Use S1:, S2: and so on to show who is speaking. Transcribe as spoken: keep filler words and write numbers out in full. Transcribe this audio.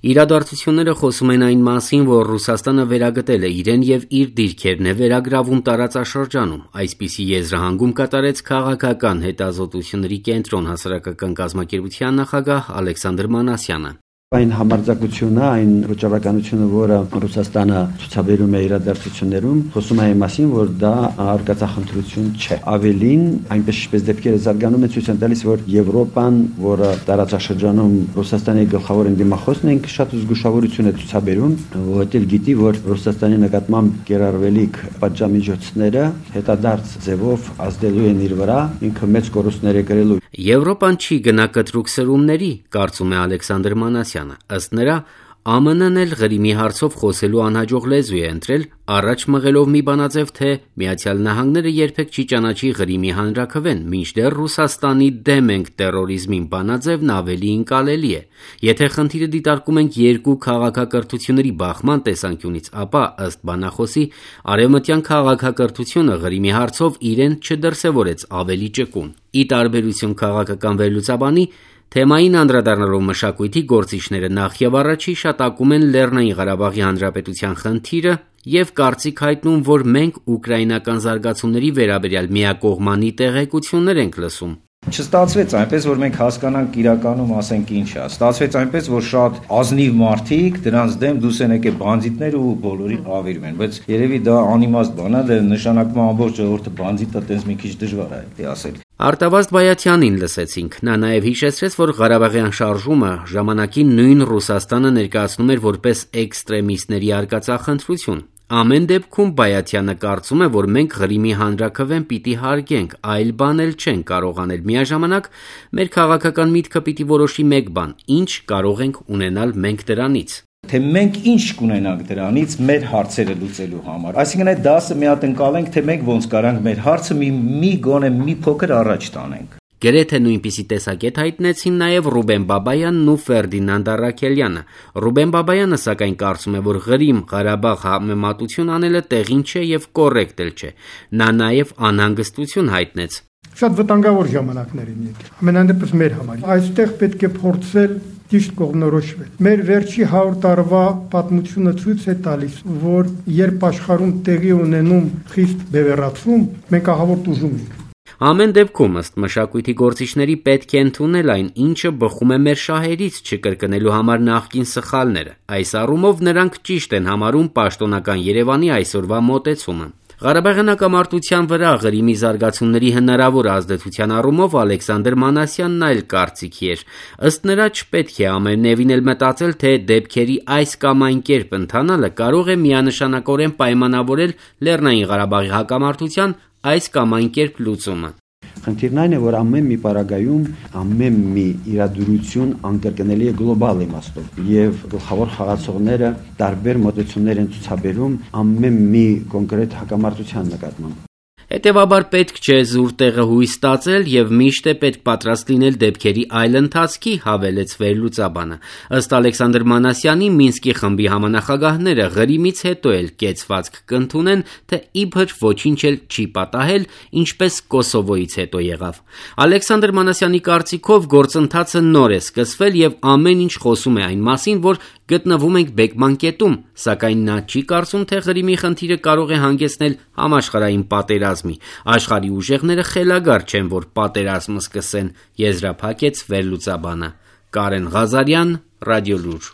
S1: Իրադարձությունները խոսում են այն մասին, որ Ռուսաստանը վերագտել է իրեն եւ իր դիրքերն է վերագրավում տարածաշրջանում, այսպիսի եզրահանգում կատարեց քաղաքական հետազոտությունների կենտրոն հասարակական կազմակերպության նախագահ Ալեքսանդր Մանասյանը։
S2: Այն համարձակությունը, այն վճռականությունը, որը Ռուսաստանը ցուցաբերում է իրադարձություններում, խոսում է այն մասին, որ դա արկածախնդրություն չէ։ Ավելին, այնպես ինչպես դեպքերը զարգանում են, ցույց են տալիս, որ Եվրոպան, որը տարածաշրջանում Ռուսաստանի գլխավոր ընդդիմախոսն է, շատ զգուշավորություն է ցուցաբերում, որովհետև գիտի, որ Ռուսաստանի նկատմամբ կիրառվելիք պատժամիջոցները հետադարձ ձևով ազդելու են իր վրա, ինքը մեծ կորուստներ է կրելու։
S1: Եվրոպան չի գնա կտրուկ սրումների, կարծում է Ալեքսանդր Մանասյանը։ Ըստ նրա, Ա Մ Ն-ն էլ Ղրիմի հարցով խոսելու անհաջող լեզու է ընտրել, առաջ մղելով մի բանաձև, թե Միացյալ Նահանգները երբեք չի ճանաչի Ղրիմի հանրաքվեն, մինչդեռ Ռուսաստանի դեմ ենք տերորիզմին բանաձևն ավելի ընկալելի է։ Եթե խնդիրը դիտարկում ենք երկու քաղաքակրթությունների բախման տեսանկյունից, ապա, ըստ բանախոսի, արևմտյան քաղաքակրթությունը Ղրիմի հարցով իրեն չդրսևորեց ավելի ճկուն։ Ի տարբերություն քաղաքական վերլուծաբանի, թեմային անդրադառնալով մշակույթի գործիչները նախ եւ առաջ հիշատակում են Լեռնային Ղարաբաղի Հանրապետության խնդիրը եւ կարծիք հայտնում, որ մենք ուկրաինական զարգացումների վերաբերյալ միակողմանի տեղեկություններ ենք լսում։
S3: Չստացվեց այնպես, որ մենք հասկանանք իրականում ասենք ինչ է։ Ստացվեց այնպես, որ շատ ազնիվ մարդիկ դրանց դեմ դուրս են եկել բանձիտներ ու բոլորին հավերում են, բայց երևի դա անիմաստ բան է, դա նշանակում է ամբողջ ժողովուրդը բանձիտ է, տենց մի քիչ դժվար է դա ասել։
S1: Արտավազդ Բայաթյանին լսեցինք։ Նա նաև հիշեցրեց, որ Ղարաբաղյան շարժումը ժամանակին նույն Ռուսաստանը ներկայացնում էր որպես էքստրեմիստների արկածախնդրություն։ Ամեն դեպքում Բայաթյանը կարծում է, որ մենք Ղրիմի հանրաքվեն պիտի հարգենք, այլ բան էլ չենք կարող անել։ Միաժամանակ մեր քաղաքական միտքը պիտի որոշի մեկ բան՝ ինչ կարող ենք ունենալ մենք դրանից։
S3: Թե մենք ինչ կունենանք դրանից մեր հարցերը լուծելու համար։ Այսինքն այդ դասը մի հատ ընկալենք, թե մենք ոնց կարանք մեր հարցը մի մի գոնե մի փոքր առաջ տանենք։
S1: Գրեթե նույնպիսի տեսակետ հայտնեցին նաև Ռուբեն Բաբայանն ու Ֆերդինանդ Առաքելյանը։ Ռուբեն Բաբայանը սակայն կարծում է, որ Ղրիմ-Ղարաբաղ համեմատություն անելը տեղին չէ եւ կոռեկտ էլ չէ։ Նա նաև անհանգստություն հայտնեց։
S4: Շատ վտանգավոր ժամանակներ են եկել։ Ամենայն դեպս մեր համար։ Այստեղ պետք է փորձել ճիշտ կողմնորոշվել։ Մեր վերջի հարյուր տարվա պատմությունը ցույց է տալիս, որ երբ աշխարհում տեղի ունենում խիստ բևեռացում, մենք ահավոր տուժում ենք։
S1: Ամեն դեպքում ըստ մշակույթի գործիչների պետք է ընդունել այն, ինչը բխում է մեր շահերից չկրկնելու համար նախկին սխալները։ Այս առումով նրանք ճիշտ են համարում պաշտոնական Երևանի այսօրվա մոտեցումը։ Ղարաբաղյան հակամարտության վրա Ղրիմի զարգացումների հնարավոր ազդեցության առումով Ալեքսանդր Մանասյանն այլ կարծիքի էր։ Ըստ նրա չպետք է ամենևին էլ մտածել, թե դեպքերի այս կամ այն կերպ ընթանալը կարող է միանշանակորեն պայմանավորել Լեռնային Ղարաբաղի հակամարտության այս կամ այն կերպ լուծումը։
S2: Խնդիրն այն է, որ ամեն մի պարագայում ամեն մի իրադրություն անկրկնելի է գլոբալ իմաստով եւ գլխավոր խաղացողները տարբեր մոտեցումներ են ցուցաբերում ամեն մի կոնկրետ հակամարտության նկատմամբ։
S1: Հետևաբար պետք չէ զուր տեղը հույս ստացել եւ միշտ է պետք պատրաստ լինել դեպքերի այլ ընթացքի, հավելեց վերլուծաբանը։ Ըստ Ալեքսանդր Մանասյանի, Մինսկի խմբի համանախագահները Ղրիմից հետո էլ կեցվածք կընդունեն, թե իբր ոչինչ էլ չի պատահել, ինչպես Կոսովոյից հետո եղավ։ Ալեքսանդր Մանասյանի կարծիքով գործընթացը նոր է սկսվել եւ ամեն ինչ խոսում է այն մասին, որ գտնվում ենք բեկման կետում, սակայն նա չի կարծում, թե Ղրիմի խնդիրը կարող է հանգեցնել համաշխարհային պատերազմի։ Աշխարհի ուժեղները խելագար չեն, որ պատերազմ սկսեն, եզրափակեց վերլուծաբանը։ Կարեն Ղազարյան, Ռադիոլուր։